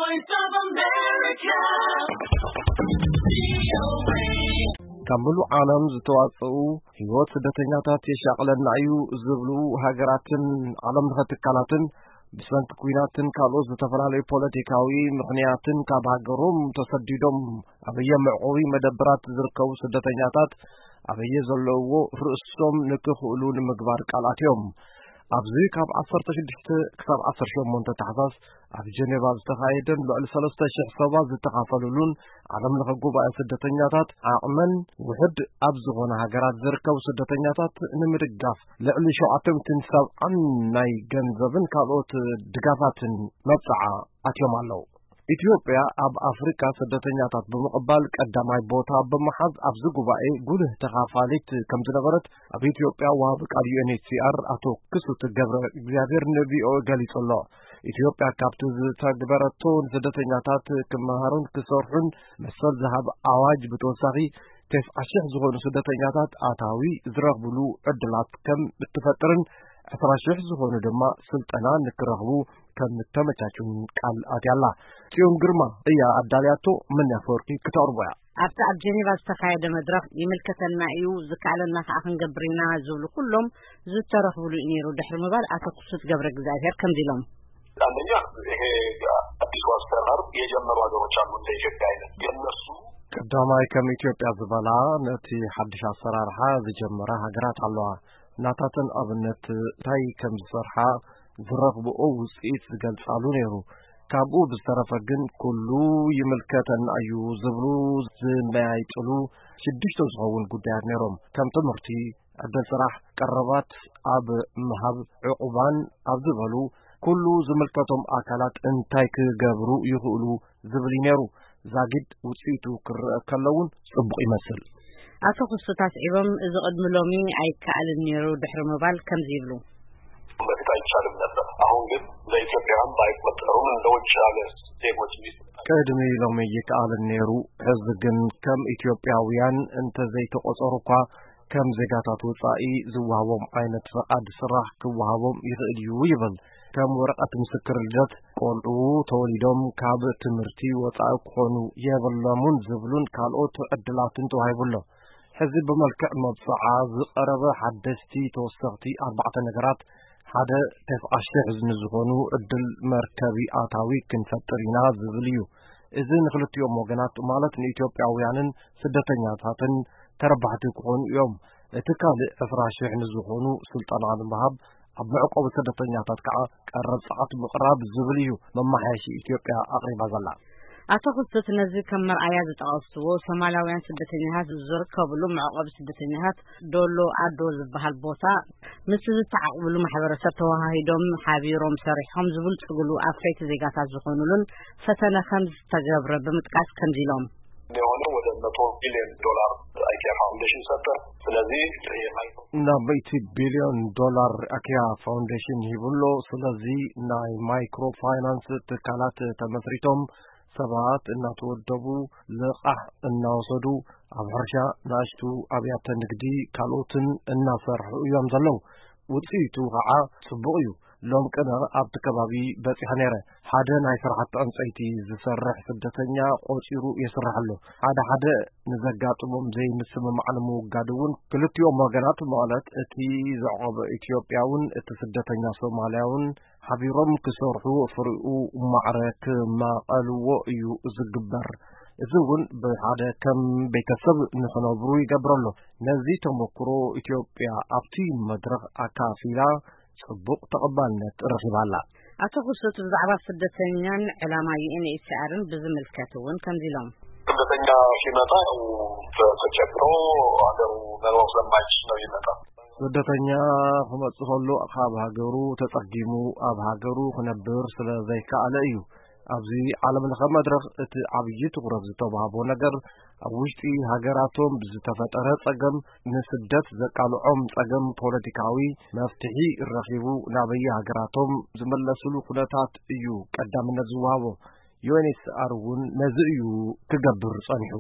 Voice of America. ካብ ምሉእ ዓለም ዝተዋጽኡ ህይወት ስደተኛታት የሻቕለና እዩ ዝብሉ ሃገራትን ዓለም ለኸ ትካላትን፣ ብሰንኪ ኲናትን ካልኦት ዝተፈላለዩ ፖለቲካዊ ምኽንያትን ካብ ሃገሮም ተሰዲዶም ኣብ የመዕቆቢ መደበራት ዝርከቡ ስደተኛታት ኣበየ ዘለውዎ ርእሶም ንክኽእሉ ንምግባር ቃል ኣትዮም። ኣብዚ ካብ ዓሰርተ ሽዱሽተ ክሳብ ዓሰርተ ሸሞንተ ታሕሳስ ኣብ ጀኔቫ ዝተኻየደን ልዕሊ ሰለስተ ሽሕ ሰባት ዝተኻፈሉሉን ዓለም ለኸ ጉባኤ ስደተኛታት፣ ዓቕመን ውሕድ ኣብ ዝኾነ ሃገራት ዝርከቡ ስደተኛታት ንምድጋፍ ልዕሊ ሸውዓተ ሚእትን ሰብዓን ናይ ገንዘብን ካልኦት ድጋፋትን መብጽዓ ኣትዮም ኣለዉ። ኢትዮጵያ ኣብ ኣፍሪካ ስደተኛታት ብምቕባል ቀዳማይ ቦታ ብምሓዝ ኣብዚ ጉባኤ ጉልህ ተኻፋሊት ከም ዝነበረት ኣብ ኢትዮጵያ ወሃቢ ቃል ዩ ኤን ኤች ሲ ኣር ኣቶ ክሱት ገብረ እግዚኣብሔር ን ቪ ኦ ኤ ገሊጹ ኣሎ። ኢትዮጵያ ካብቲ ዝተግበረቶ ንስደተኛታት ክመሃሩን ክሰርሑን መሰል ዝሃብ ኣዋጅ ብተወሳኺ ተስዓ ሽሕ ዝኾኑ ስደተኛታት ኣታዊ ዝረኽብሉ ዕድላት ከም እትፈጥርን ዕስራ ሽሕ ዝኾኑ ድማ ስልጠና ንክረኽቡ ከም እተመቻቹን ቃል ኣትያ ኣላ። ጽዮን ግርማ እያ ኣዳልያቶ፣ መን ኣፈወርቂ ክተቕርቦ እያ። ኣብቲ ኣብ ጀኔቫ ዝተኻየደ መድረኽ ይምልከተና እዩ፣ ዝከኣለና ከኣ ክንገብር ኢና ዝብሉ ኩሎም ዝተረኽብሉ እዩ ነይሩ ድሕሪ ምባል ኣቶ ክሱት ገብረ እግዚኣብሔር ከምዚ ኢሎም። አንደኛ ይሄ አዲሱ አሰራር የጀመሩ ሀገሮች አሉ፣ እንደ ኢትዮጵያ አይነት። የእነሱ ቀዳማይ ከም ኢትዮጵያ ዝበላ ነቲ ሓድሽ ኣሰራርሓ ዝጀመራ ሃገራት ኣለዋ። ናታተን ኣብነት እንታይ ከም ዝሰርሓ ዝረኽብኦ ውፅኢት ዝገልጻሉ ነይሩ። ካብኡ ብዝተረፈ ግን ኩሉ ይምልከተና እዩ ዝብሉ ዝመያይጥሉ ሽዱሽተ ዝኸውን ጉዳያት ነይሮም። ከም ትምህርቲ፣ ዕድል ስራሕ፣ ቀረባት ኣብ ምሃብ፣ ዕቑባን ኣብ ዝበሉ ኩሉ ዝምልከቶም ኣካላት እንታይ ክገብሩ ይኽእሉ ዝብል እዩ ነይሩ። ዛጊድ ውፅኢቱ ክረአ ከሎ እውን ጽቡቕ ይመስል። ኣቶ ክሱት ኣስዒቦም፣ እዚ ቅድሚ ሎሚ ኣይከኣልን ነይሩ ድሕሪ ምባል ከምዚ ይብሉ። በፊት አይቻልም ነበር። አሁን ግን እንደ ኢትዮጵያውያን ባይቆጠሩም እንደ ውጭ ሀገር ዜጎች ቢስ ቅድሚ ሎሚ ይከኣልን ነይሩ። ሕዚ ግን ከም ኢትዮጵያውያን እንተዘይተቆጸሩ እኳ ከም ዜጋታት ወጻኢ ዝወሃቦም ዓይነት ፈቓድ ስራሕ ክወሃቦም ይኽእል እዩ ይብል። ከም ወረቐት ምስክር ልደት፣ ቆልዑ ተወሊዶም ካብ ትምህርቲ ወጻኢ ክኾኑ የብሎምን ዝብሉን ካልኦት ዕድላትን ተዋሂቡ ኣሎ። ሕዚ ብመልክዕ መብጽዓ ዝቐረበ ሓደስቲ ተወሰኽቲ ኣርባዕተ ነገራት፣ ሓደ ተስዓ ሽሕ ንዝኾኑ ዕድል መርከቢ ኣታዊ ክንፈጥር ኢና ዝብል እዩ። እዚ ንክልቲኦም ወገናት፣ ማለት ንኢትዮጵያውያንን ስደተኛታትን ተረባሕቲ ክኾኑ እዮም። እቲ ካልእ ዕስራ ሽሕ ንዝኾኑ ስልጠና ንምሃብ፣ ኣብ መዕቆቢ ስደተኛታት ከዓ ቀረብ ጸዓት ምቕራብ ዝብል እዩ መመሓየሺ ኢትዮጵያ ኣቕሪባ ዘላ። ኣቶ ክሱት ነዚ ከም መርኣያ ዝጠቐስዎ፣ ሶማላውያን ስደተኛታት ዝርከብሉ መዕቆቢ ስደተኛታት ዶሎ ኣዶ ዝበሃል ቦታ ምስ ዝተዓቕብሉ ማሕበረሰብ ተወሃሂዶም ሓቢሮም ሰሪሖም ዝብልጽግሉ ኣፍረይቲ ዜጋታት ዝኾኑሉን ፈተነ ከም ዝተገብረ ብምጥቃስ ከምዚ ኢሎም። የሆነ ወደ መቶ ቢሊዮን ዶላር አይኪያ ፋውንዴሽን ሰጠ። ስለዚህ የማይክሮ ናብ ሚእቲ ቢልዮን ዶላር ኣኪያ ፋውንዴሽን ሂቡ ኣሎ። ስለዚ ናይ ማይክሮ ፋይናንስ ትካላት ተመስሪቶም ሰባት እናተወደቡ፣ ልቓሕ እናወሰዱ፣ ኣብ ሕርሻ፣ ንኣሽቱ ኣብያተ ንግዲ፣ ካልኦትን እናሰርሑ እዮም ዘለዉ። ውፅኢቱ ከዓ ፅቡቕ እዩ። ሎም ቅነ ኣብቲ ከባቢ በፂሐ ነይረ። ሓደ ናይ ስራሕቲ ዕንፀይቲ ዝሰርሕ ስደተኛ ቆፂሩ የስርሕ ኣሎ። ሓደ ሓደ ንዘጋጥሞም ዘይምስምማዕ ንምውጋድ እውን ክልቲኦም ወገናት፣ ማለት እቲ ዘዕቆበ ኢትዮጵያውን እቲ ስደተኛ ሶማልያውን ሓቢሮም ክሰርሑ፣ ፍሪኡ ማዕረ ክማቐልዎ እዩ ዝግበር። እዚ እውን ብሓደ ከም ቤተሰብ ንኽነብሩ ይገብር ኣሎ። ነዚ ተመክሮ ኢትዮጵያ ኣብቲ መድረኽ ኣካፊላ ጽቡቕ ተቐባልነት ረኺባ ኣላ። ኣቶ ክሱት ብዛዕባ ስደተኛን ዕላማ ዩ ኤን ኤች ሲ ኣርን ብዝምልከት እውን ከምዚ ኢሎም። ስደተኛ ሲመጣ ያው ተቸግሮ ሀገሩ መኖር ስለማይችል ነው ይመጣ። ስደተኛ ክመጽእ ከሎ ካብ ሃገሩ ተጸጊሙ ኣብ ሃገሩ ክነብር ስለ ዘይከኣለ እዩ። ኣብዚ ዓለም ለኸ መድረኽ እቲ ዓብዪ ትኹረት ዝተዋህቦ ነገር ኣብ ውሽጢ ሃገራቶም ብዝተፈጠረ ጸገም ንስደት ዘቃልዖም ጸገም ፖለቲካዊ መፍትሒ ረኺቡ ናበየ ሃገራቶም ዝምለስሉ ኩነታት እዩ ቀዳምነት ዝወሃቦ። ዩ ኤን ኤች ሲ ኣር እውን ነዚ እዩ ክገብር ጸኒሑ።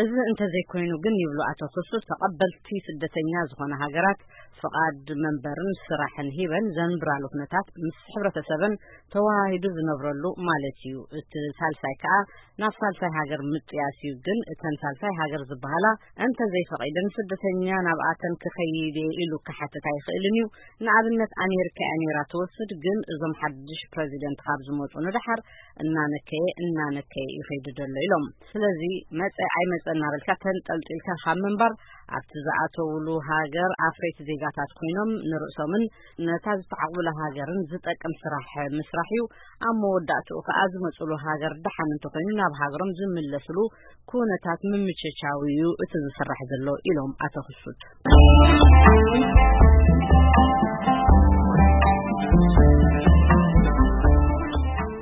እዚ እንተዘይኮይኑ ግን፣ ይብሉ ኣቶ ክሱት፣ ተቐበልቲ ስደተኛ ዝኾነ ሃገራት ፍቓድ መንበርን ስራሕን ሂበን ዘንብራሉ ኩነታት ምስ ሕብረተሰበን ተወሃሂዱ ዝነብረሉ ማለት እዩ። እቲ ሳልሳይ ከኣ ናብ ሳልሳይ ሃገር ምጥያስ እዩ። ግን እተን ሳልሳይ ሃገር ዝበሃላ እንተዘይፈቒደን፣ ስደተኛ ናብኣተን ክኸይድ እየ ኢሉ ክሓትት ኣይኽእልን እዩ። ንኣብነት፣ ኣሜሪካ እያ ነይራ ትወስድ፣ ግን እዞም ሓድሽ ፕረዚደንት ካብ ዝመፁ ንደሓር እናነከየ እናነከየ ይኸይድ ዘሎ ኢሎም። ስለዚ መፀ ኣይመፀ እናበልካ ተንጠልጢልካ ካብ ምንባር፣ ኣብቲ ዝኣተውሉ ሃገር ኣፍረይቲ ዜጋታት ኮይኖም ንርእሶምን ነታ ዝተዓቕቡላ ሃገርን ዝጠቅም ስራሕ ምስራሕ እዩ። ኣብ መወዳእትኡ ከኣ ዝመፅሉ ሃገር ደሓን እንተኾይኑ ናብ ሃገሮም ዝምለስሉ ኩነታት ምምችቻው እዩ እቲ ዝስራሕ ዘሎ ኢሎም ኣቶ ክሱት።